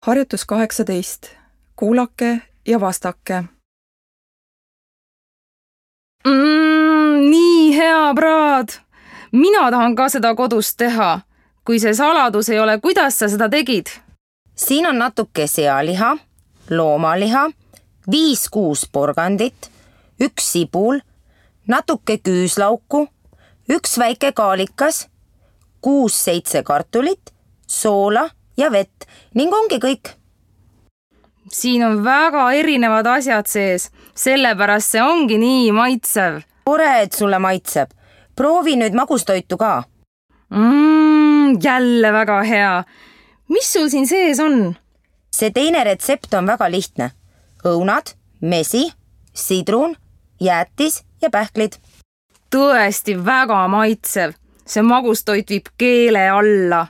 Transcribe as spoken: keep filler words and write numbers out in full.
Harjutus kaheksateist. Kuulake ja vastake. Mm, nii hea praad! Mina tahan ka seda kodus teha. Kui see saladus ei ole, kuidas sa seda tegid? Siin on natuke sealiha, loomaliha, viis-kuus porgandit, üks sibul, natuke küüslauku, üks väike kaalikas, kuus-seitse kartulit, soola ja vett ning ongi kõik. Siin on väga erinevad asjad sees, sellepärast see ongi nii maitsev. Tore, et sulle maitseb. Proovi nüüd magustoitu ka. Mm, jälle väga hea. Mis sul siin sees on? See teine retsept on väga lihtne. Õunad, mesi, sidrun, jäätis ja pähklid. Tõesti väga maitsev. See magustoit viib keele alla.